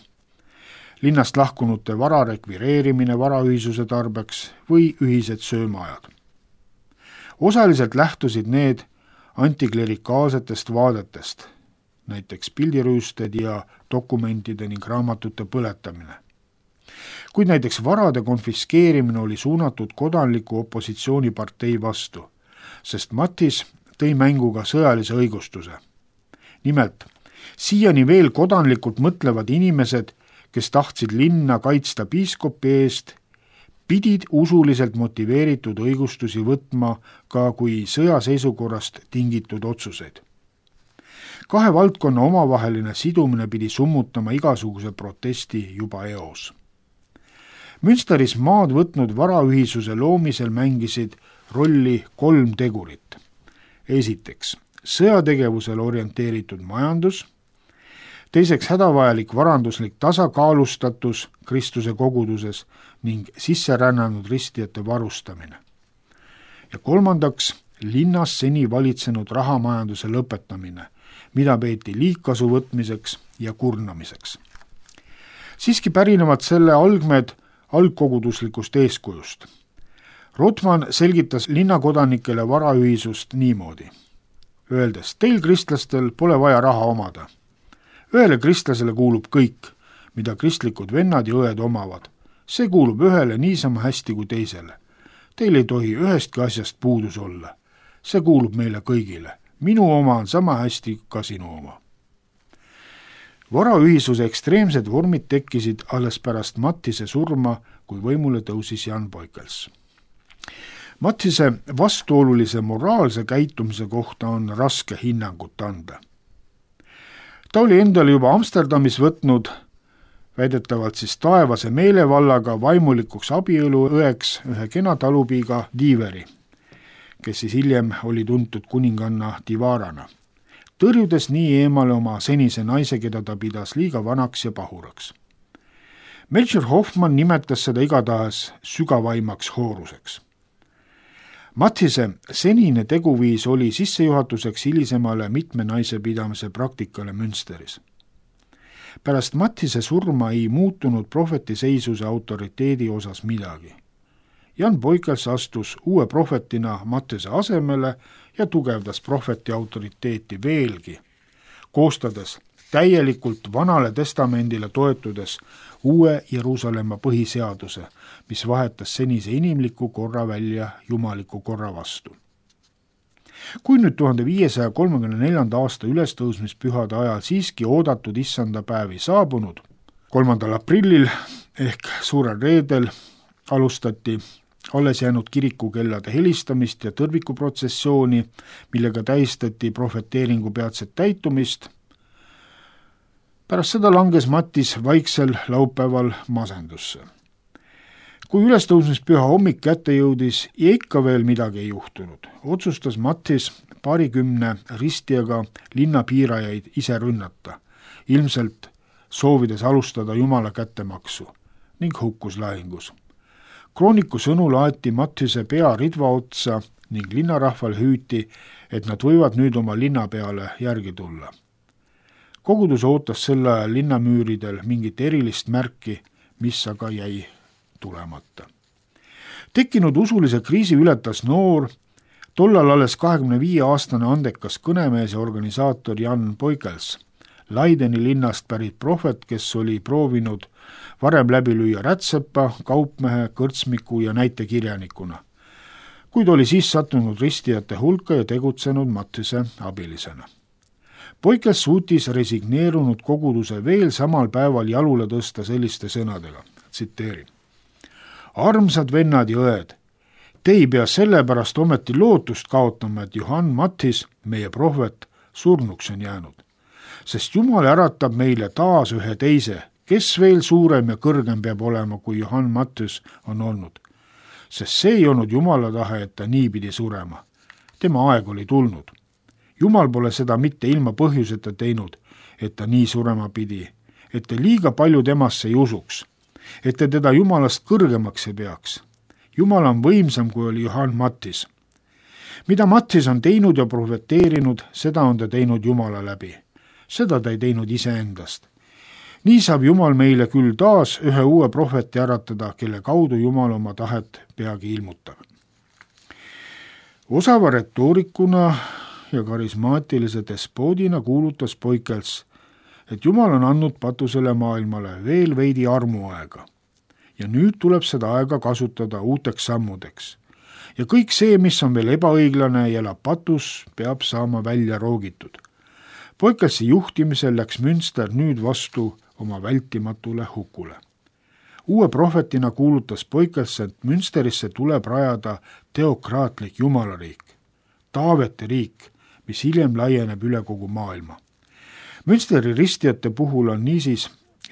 linnast lahkunute vara rekvireerimine varaühisuse tarbeks või ühised söömaajad. Osaliselt lähtusid need antiklerikaalsetest vaadetest, näiteks pildirüüsted ja dokumentide ning raamatute põletamine. Kuid näiteks varade konfiskeerimine oli suunatud kodanliku opositsioonipartei vastu, sest Mattis tõi mängu ka sõjalise õigustuse. Nimelt, siiani veel kodanlikult mõtlevad inimesed, kes tahtsid linna kaitsta piiskopi eest, pidid usuliselt motiveeritud õigustusi võtma ka kui sõjaseisukorrast tingitud otsuseid. 2 valdkonna omavaheline sidumine pidi summutama igasuguse protesti juba eos. Münsteris maad võtnud varaühisuse loomisel mängisid rolli 3 tegurit. Esiteks, sõjategevusele orienteeritud majandus, teiseks hädavajalik varanduslik tasakaalustatus Kristuse koguduses ning sisserännanud ristijate varustamine. Ja kolmandaks, linnas seni valitsenud rahamajanduse lõpetamine, mida peeti liigkasu võtmiseks ja kurnamiseks. Siiski pärinevad selle algmed algkoguduslikust eeskujust. Rotman selgitas linnakodanikele varaühisust niimoodi, öeldes, teil kristlastel pole vaja raha omada. Ühele kristlasele kuulub kõik, mida kristlikud vennad ja õed omavad. See kuulub ühele niisama hästi kui teisele. Teil ei tohi ühestki asjast puudus olla. See kuulub meile kõigile. Minu oma on sama hästi ka sinu oma. Varaühisuse ekstreemsed vormid tekkisid alles pärast Mattise surma, kui võimule tõusis Jan Boykels. Mattise vastuolulise moraalse käitumise kohta on raske hinnangut anda. Ta oli endale juba Amsterdamis võtnud, väidetavalt taevase meelevallaga vaimulikuks abiõluõeks ühe kena talupiiga Diiveri, kes hiljem oli tuntud kuninganna Divarana, tõrjudes nii eemale oma senise naise, keda ta pidas liiga vanaks ja pahuraks. Melchior Hoffmann nimetas seda igatahes sügavaimaks hooruseks. Mattise senine teguviis oli sissejuhatuseks hilisemale mitme naise pidamise praktikale Münsteris. Pärast Mattise surma ei muutunud prohveti seisuse autoriteedi osas midagi. Jan Boykels astus uue prohvetina Mattise asemele ja tugevdas prohveti autoriteeti veelgi, koostades täielikult Vanale Testamendile toetudes uue Jeruusalemma põhiseaduse, mis vahetas senise inimliku korra välja jumaliku korra vastu. Kui nüüd 1534. aasta ülestõusmispühade ajal siiski oodatud issanda päevi saabunud, 3. aprillil ehk suurel reedel alustati alles jäänud kirikukellade helistamist ja tõrvikuprotsessiooni, millega tähistati prohveteeringu peatset täitumist. Pärast seda langes Mattis vaiksel laupäeval masendusse. Kui ülestõusmispüha hommik kätte jõudis ja ikka veel midagi ei juhtunud, otsustas Mattis paarikümne ristijaga linnapiirajaid ise rünnata, ilmselt soovides alustada Jumala kättemaksu ning hukkus lahingus. Krooniku sõnul aeti Mattise pea ridva otsa ning linnarahval hüüti, et nad võivad nüüd oma linna peale järgi tulla. Kogudus ootas selle ajal linnamüüridel mingit erilist märki, mis aga jäi tulemata. Tekkinud usulise kriisi ületas noor, tollal alles 25-aastane andekas kõnemees ja organisaator Jan Poikels, Leideni linnast pärit prohvet, kes oli proovinud varem läbi lüüa rätsepa, kaupmehe, kõrtsmiku ja näitekirjanikuna, kuid oli siis sattunud ristijate hulka ja tegutsenud Mattise abilisena. Poikels suutis resigneerunud koguduse veel samal päeval jalule tõsta selliste sõnadega, tsiteerin: armsad vennad ja õed, te ei pea sellepärast ometi lootust kaotama, et Johann Mattis, meie prohvet, surnuks on jäänud, sest Jumal äratab meile taas ühe teise, kes veel suurem ja kõrgem peab olema, kui Johann Mattis on olnud. Sest see ei olnud Jumala tahe, et ta nii pidi surema. Tema aeg oli tulnud. Jumal pole seda mitte ilma põhjuseta teinud, et ta nii surema pidi, et te liiga palju temasse ei usuks, et te teda Jumalast kõrgemaks ei peaks. Jumal on võimsam, kui oli Johann Mattis. Mida Mattis on teinud ja profeteerinud, seda on ta teinud Jumala läbi. Seda ta ei teinud iseendast. Nii saab Jumal meile küll taas ühe uue prohveti äratada, kelle kaudu Jumal oma tahet peagi ilmutab. Osava retoorikuna ja karismaatilise despoodina kuulutas Poikels, et Jumal on andnud patusele maailmale veel veidi armuaega ja nüüd tuleb seda aega kasutada uuteks sammudeks. Ja kõik see, mis on veel ebaõiglane ja elab patus, peab saama välja roogitud. Poikelsi juhtimisel läks Münster nüüd vastu oma vältimatule hukule. Uue prohvetina kuulutas Poikels, et Münsterisse tuleb rajada teokraatlik jumalariik, Taaveti riik, mis hiljem laieneb üle kogu maailma. Münsteri ristijate puhul on niisiis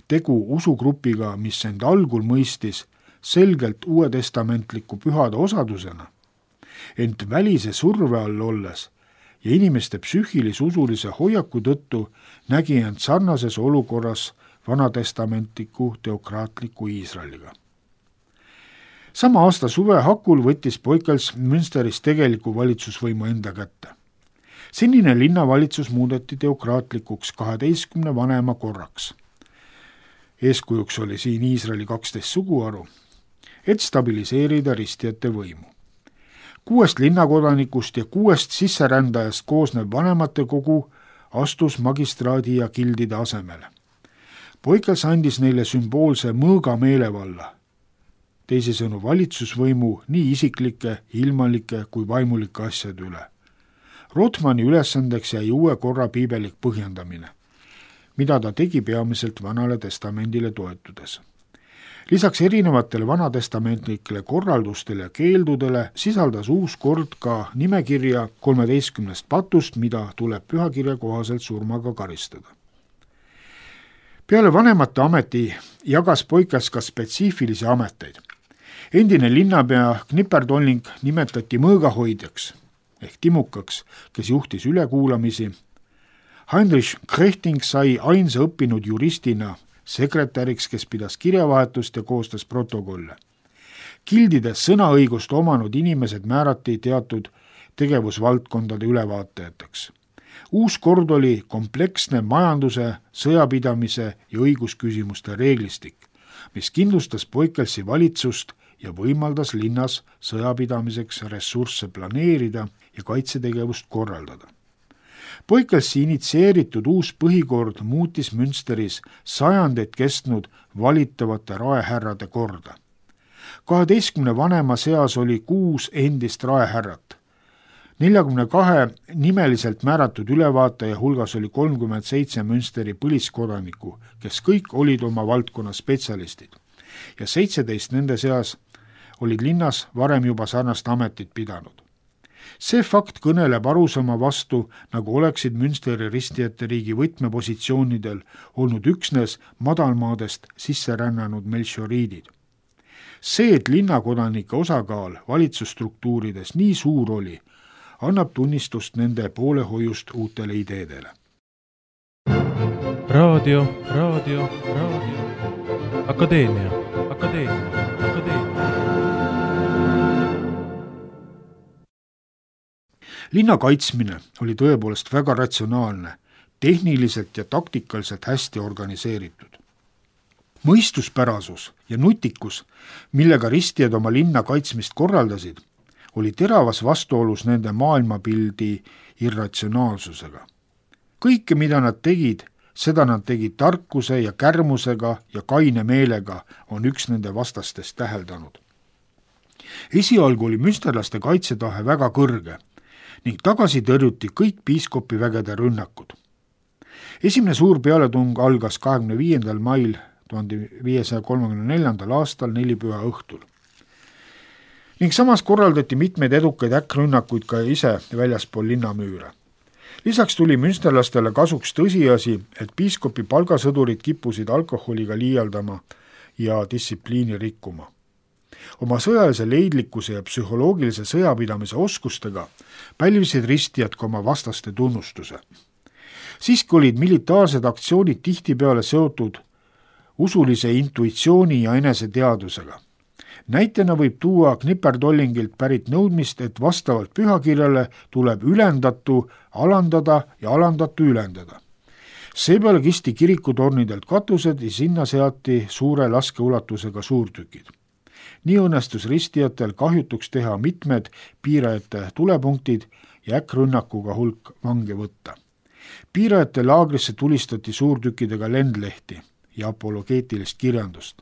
tegu usugrupiga, mis end algul mõistis selgelt uuetestamentliku pühade osadusena, ent välise surve all olles ja inimeste psüühilis-usulise hoiaku tõttu nägi end sarnases olukorras vanatestamentliku teokraatliku Iisraeliga. Sama aasta suve hakul võttis Poikels Münsteris tegeliku valitsusvõimu enda kätte. Senine linnavalitsus muudeti teokraatlikuks 12 vanema korraks. Eeskujuks oli siin Iisraeli 12 suguharu, et stabiliseerida ristijate võimu. 6 linnakodanikust ja 6 sisserändajast koosnev vanematekogu astus magistraadi ja gildide asemele. Poikels andis neile sümboolse mõõga meelevalla, teisisõnu valitsusvõimu nii isiklike, ilmalike kui vaimulike asjade üle. Rothmanni ülesandeks jäi uue korra piibelik põhjendamine, mida ta tegi peamiselt Vanale Testamendile toetudes. Lisaks erinevatele vanatestamentlikele korraldustele ja keeldudele sisaldas uus kord ka nimekirja 13 patust, mida tuleb pühakirja kohaselt surmaga karistada. Peale vanemate ameti jagas Poikels ka spetsiifilisi ameteid. Endine linnapea Knipperdolling nimetati mõõgahoidjaks ehk timukaks, kes juhtis ülekuulamisi. Heinrich Krechting sai ainsa õppinud juristina sekretäriks, kes pidas kirjavahetust ja koostas protokolle. Gildides sõnaõigust omanud inimesed määrati teatud tegevusvaldkondade ülevaatajateks. Uus kord oli kompleksne majanduse, sõjapidamise ja õigusküsimuste reeglistik, mis kindlustas Poikelsi valitsust ja võimaldas linnas sõjapidamiseks ressursse planeerida ja kaitsetegevust korraldada. Poikelsi initsieeritud uus põhikord muutis Münsteris sajandeid kestnud valitavate raehärrade korda. 12 vanema seas oli 6 endist raehärrat. 42 nimeliselt määratud ülevaataja hulgas oli 37 Münsteri põliskodanikku, kes kõik olid oma valdkonna spetsialistid, ja 17 nende seas olid linnas varem juba sarnast ametit pidanud. See fakt kõneleb arusaama vastu, nagu oleksid Münsteri ristijate riigi võtmepositsioonidel olnud üksnes madalmaadest sisse rännanud melchioriidid. See, et linnakodanike osakaal valitsusstruktuurides nii suur oli, annab tunnistust nende poolehoiust uutele ideedele. Raadio. Akadeemia. Linna kaitsmine oli tõepoolest väga ratsionaalne, tehniliselt ja taktikaliselt hästi organiseeritud. Mõistuspärasus ja nutikus, millega ristijad oma linna kaitsmist korraldasid, oli teravas vastuolus nende maailmapildi irratsionaalsusega. Kõike, mida nad tegid, seda nad tegid tarkuse ja kärmusega ja kaine meelega, on üks nende vastastest täheldanud. Esialgu oli münsterlaste kaitsetahe väga kõrge ning tagasi tõrjuti kõik piiskopi vägede rünnakud. Esimene suur pealetung algas 25. mail 1534. aastal nelipüha õhtul. Ning samas korraldati mitmeid edukaid äkkrünnakuid ka ise väljaspool linnamüüre. Lisaks tuli münsterlastele kasuks tõsiasi, et piiskopi palgasõdurid kippusid alkoholiga liialdama ja distsipliini rikkuma. Oma sõjalise leidlikkuse ja psühholoogilise sõjapidamise oskustega pälvisid ristijad ka oma vastaste tunnustuse. Siiski olid militaarsed aktsioonid tihtipeale seotud usulise intuitsiooni ja eneseteadusega. Näitena võib tuua Knipperdollingilt pärit nõudmist, et vastavalt pühakirjale tuleb ülendatu alandada ja alandatu ülendada. Seepeale kisti kirikutornidelt katused ja sinna seati suure laskeulatusega suurtükid. Nii õnnestus ristijatel kahjutuks teha mitmed piirajate tulepunktid ja äkkrünnakuga hulk vange võtta. Piirajate laagrisse tulistati suurtükkidega lendlehti ja apologeetilist kirjandust.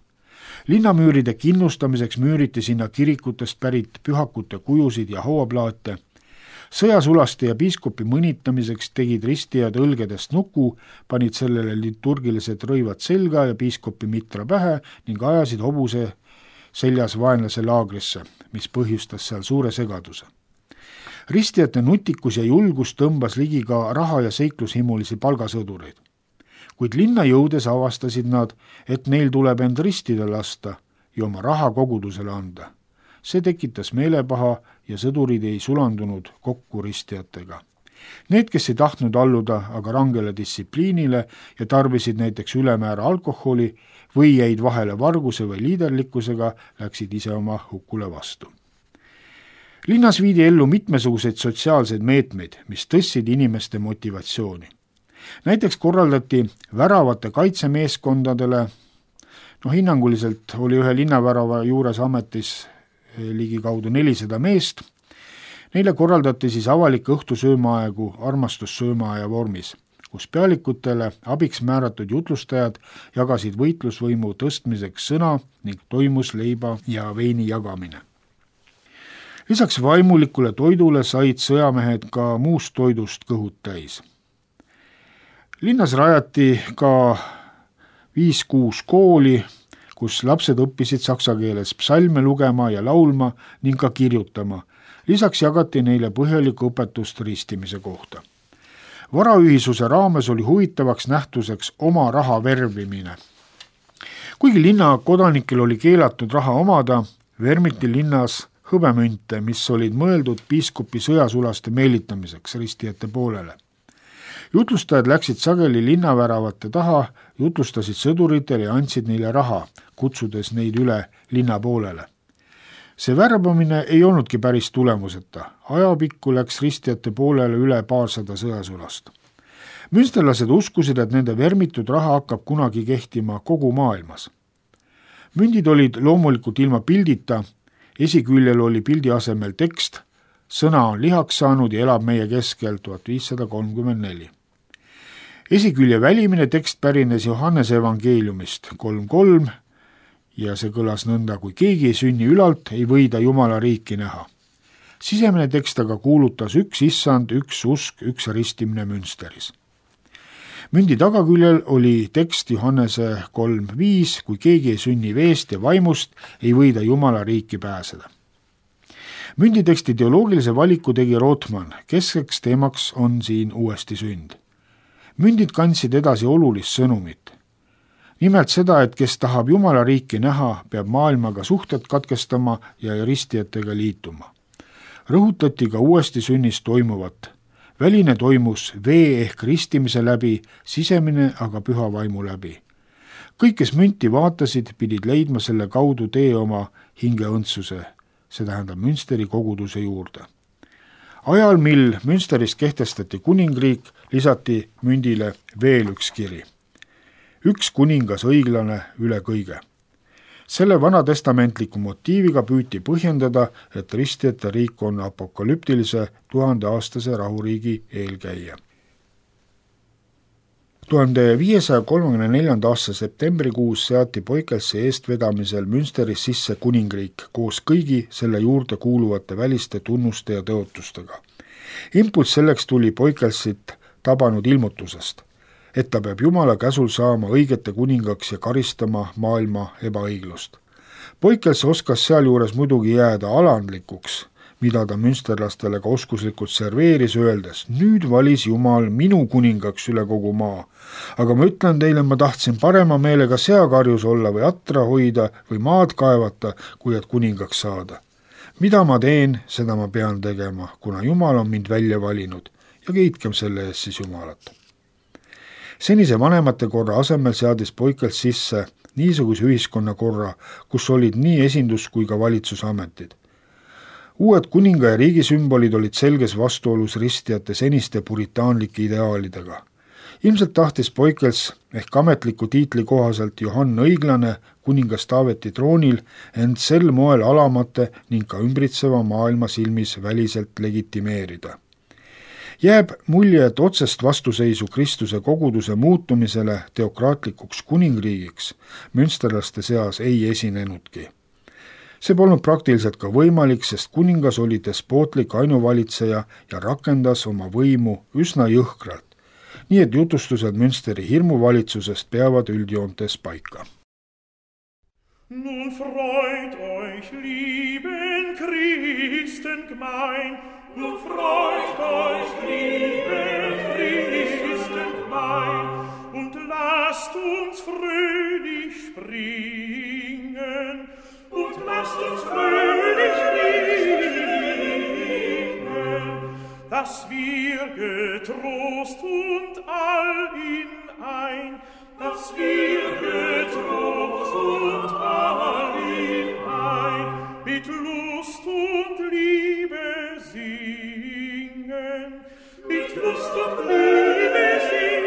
Linnamüüride kinnustamiseks müüriti sinna kirikutest pärit pühakute kujusid ja hauaplaate. Sõjasulaste ja piiskopi mõnitamiseks tegid ristijad õlgedest nuku, panid sellele liturgilised rõivad selga ja piiskopi mitra pähe ning ajasid hobuse seljas vaenlase laagrisse, mis põhjustas seal suure segaduse. Ristijate nutikus ja julgus tõmbas ligi ka raha- ja seiklushimulisi palgasõdureid. Kuid linna jõudes avastasid nad, et neil tuleb end ristida lasta ja oma raha kogudusele anda. See tekitas meelepaha ja sõdurid ei sulandunud kokku ristijatega. Need, kes ei tahtnud alluda aga rangele distsipliinile ja tarbisid näiteks ülemäära alkoholi või jäid vahele varguse või liiderlikkusega, läksid ise oma hukule vastu. Linnas viidi ellu mitmesuguseid sotsiaalseid meetmeid, mis tõstsid inimeste motivatsiooni. Näiteks korraldati väravate kaitsemeeskondadele, hinnanguliselt oli ühe linnavärava juures ametis ligikaudu 400 meest. Neile korraldati siis avalik õhtusöömaaegu armastussöömaaja vormis, kus pealikutele abiks määratud jutlustajad jagasid võitlusvõimu tõstmiseks sõna ning toimus leiba ja veini jagamine. Lisaks vaimulikule toidule said sõjamehed ka muust toidust kõhud täis. Linnas rajati ka 5-6 kooli, kus lapsed õppisid saksa keeles psalme lugema ja laulma ning ka kirjutama. Lisaks jagati neile põhjalikku õpetust ristimise kohta. Varaühisuse raames oli huvitavaks nähtuseks oma raha verbimine. Kuigi linna kodanikel oli keelatud raha omada, vermiti linnas hõbemünte, mis olid mõeldud piiskopi sõjasulaste meelitamiseks ristijate poolele. Jutlustajad läksid sageli linnaväravate taha, jutlustasid sõduritele ja andsid neile raha, kutsudes neid üle linna poolele. See värbamine ei olnudki päris tulemuseta. Ajapikku läks ristijate poolele üle 200 sõjasulast. Münsterlased uskusid, et nende vermitud raha hakkab kunagi kehtima kogu maailmas. Mündid olid loomulikult ilma pildita, esiküljel oli pildi asemel tekst, sõna on lihaks saanud ja elab meie keskel 1534. Esikülje välimine tekst pärines Johannese evangeeliumist 3.3 ja see kõlas nõnda: kui keegi ei sünni ülalt, ei või ta Jumala riiki näha. Sisemine tekst aga kuulutas üks issand, üks usk, üks ristimine münsteris. Mündi tagaküljel oli tekst Johannese 3.5, kui keegi ei sünni veest ja vaimust, ei või ta Jumala riiki pääseda. Münditeksti teoloogilise valiku tegi Rothman, keskeks teemaks on siin uuesti sünd. Mündid kandsid edasi olulist sõnumit. Nimelt seda, et kes tahab Jumala riiki näha, peab maailmaga suhted katkestama ja ristijatega liituma. Rõhutati ka uuesti sünnis toimuvat. Väline toimus vee ehk ristimise läbi, sisemine aga püha vaimu läbi. Kõik, kes münti vaatasid, pidid leidma selle kaudu tee oma hingeõndsuse, see tähendab Münsteri koguduse juurde. Ajal, mil Münsteris kehtestati kuningriik, lisati mündile veel üks kiri. Üks kuningas õiglane üle kõige. Selle vanatestamentliku motiiviga püüti põhjendada, et ristijate riik on apokalüptilise 1000-aastase rahuriigi eelkäija. 1534. aasta septembrikuus seati Poikelsi eestvedamisel Münsteris sisse kuningriik koos kõigi selle juurde kuuluvate väliste tunnuste ja tõotustega. Impulss selleks tuli Poikelsit tabanud ilmutusest, et ta peab Jumala käsul saama õigete kuningaks ja karistama maailma ebaõiglust. Poikels oskas sealjuures muidugi jääda alandlikuks, mida ta münsterlastele ka oskuslikult serveeris, öeldes: nüüd valis Jumal minu kuningaks üle kogu maa, aga ma ütlen teile, ma tahtsin parema meelega seakarjus olla või atra hoida või maad kaevata, kui et kuningaks saada. Mida ma teen, seda ma pean tegema, kuna Jumal on mind välja valinud ja kiitkem selle eest siis Jumalat. Senise vanemate korra asemel seadis Poikels sisse niisuguse ühiskonnakorra, kus olid nii esindus- kui ka valitsusametid. Uued kuninga ja riigi sümbolid olid selges vastuolus ristijate seniste puritaanlike ideaalidega. Ilmselt tahtis Poikels ehk ametliku tiitli kohaselt Johann Õiglane kuningas Taaveti troonil end sel moel alamate ning ka ümbritseva maailma silmis väliselt legitimeerida. Jääb mulje, et otsest vastuseisu Kristuse koguduse muutumisele teokraatlikuks kuningriigiks münsterlaste seas ei esinenudki. See polnud praktiliselt ka võimalik, sest kuningas oli despootlik ainuvalitseja ja rakendas oma võimu üsna jõhkralt, nii et jutustused Münsteri hirmuvalitsusest peavad üldjoontes paika. Nun freut euch, lieben Christen gemein, nun freut euch, lieben Christen gemein, und lasst uns fröhlich springen, und lasst uns fröhlich springen, dass wir getrost und all in ein, dass wir getrost und all in ein, mit Lust und Liebe singen, mit Lust und Liebe singen,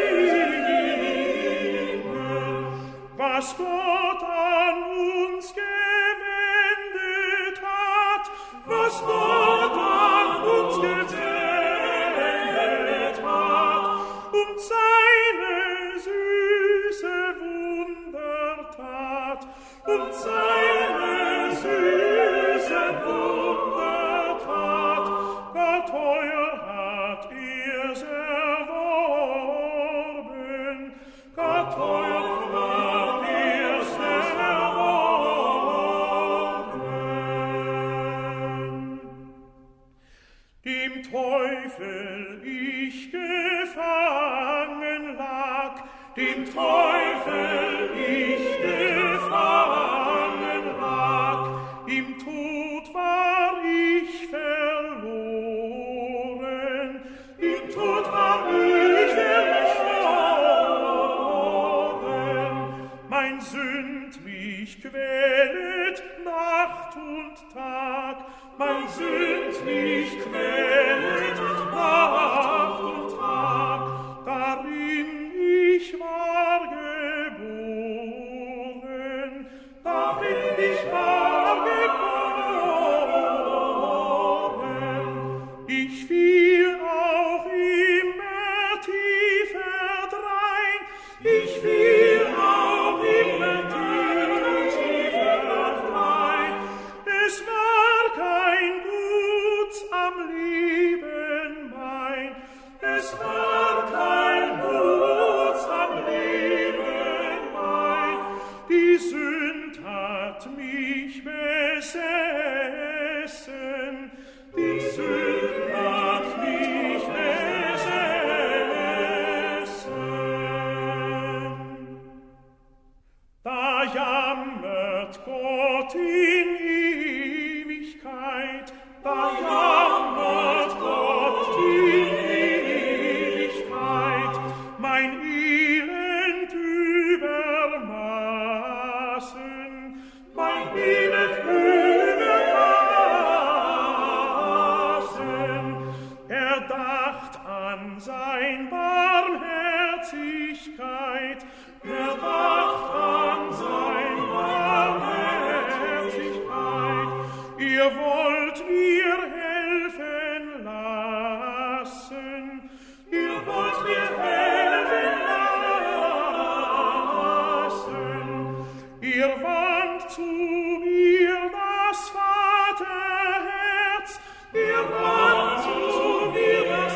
was Gott an uns gewendet hat, was Gott an uns gewendet hat, und seine süße Wundertat, und seine süße Wundertat, gar teuer hat er's erworben, gar teuer hat er's erworben. Dem Teufel ich gefangen lag, dem Teufel ich gefangen lag, im Tod war ich verloren, im Tod war ich verloren. Mein Sünd mich quälet Nacht und Tag, mein Sünd mich quälet Nacht und Tag, darin ich war geboren, darin ich war geboren. Ich fiel auch immer tiefer drein, ich fiel auch immer tiefer drein. Es war kein Guts am Leben mein, es war kein Guts am Leben mein. Die Sünd hat mich besessen, die Sünd hat mich besessen. Da jammert Gott in Ewigkeit, da jammert Gott in Ewigkeit, mein Elend übermaßen, mein Elend übermaßen. Er dacht an sein Barmherzigkeit, er dacht an sein Barmherzigkeit. Ihr wollt mir helfen lassen, ihr wollt mir helfen lassen. Ihr wandt zu mir das Vaterherz, ihr wandt zu mir das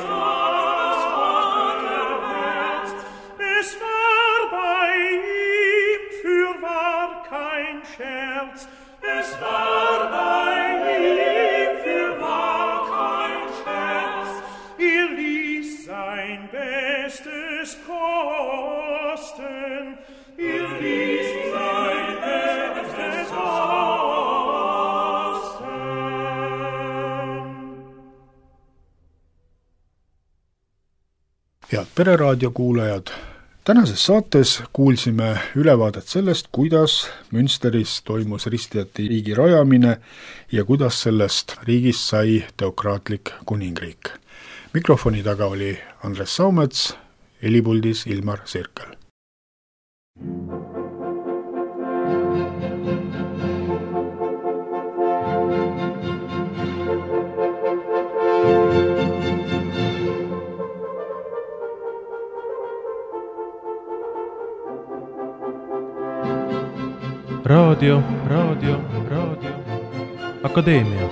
Vaterherz. Es war bei ihm fürwahr kein Scherz, es war bei ihm fürwahr kein Scherz. Er ließ sein Bestes kosten, er ließ sein Bestes kosten. Head Pereraadio kuulajad, tänases saates kuulsime ülevaadet sellest, kuidas Münsteris toimus ristijate riigi rajamine ja kuidas sellest riigist sai teokraatlik kuningriik. Mikrofoni taga oli Andres Saumets, helipuldis Ilmar Sirkel. Raadio. Akadeemia.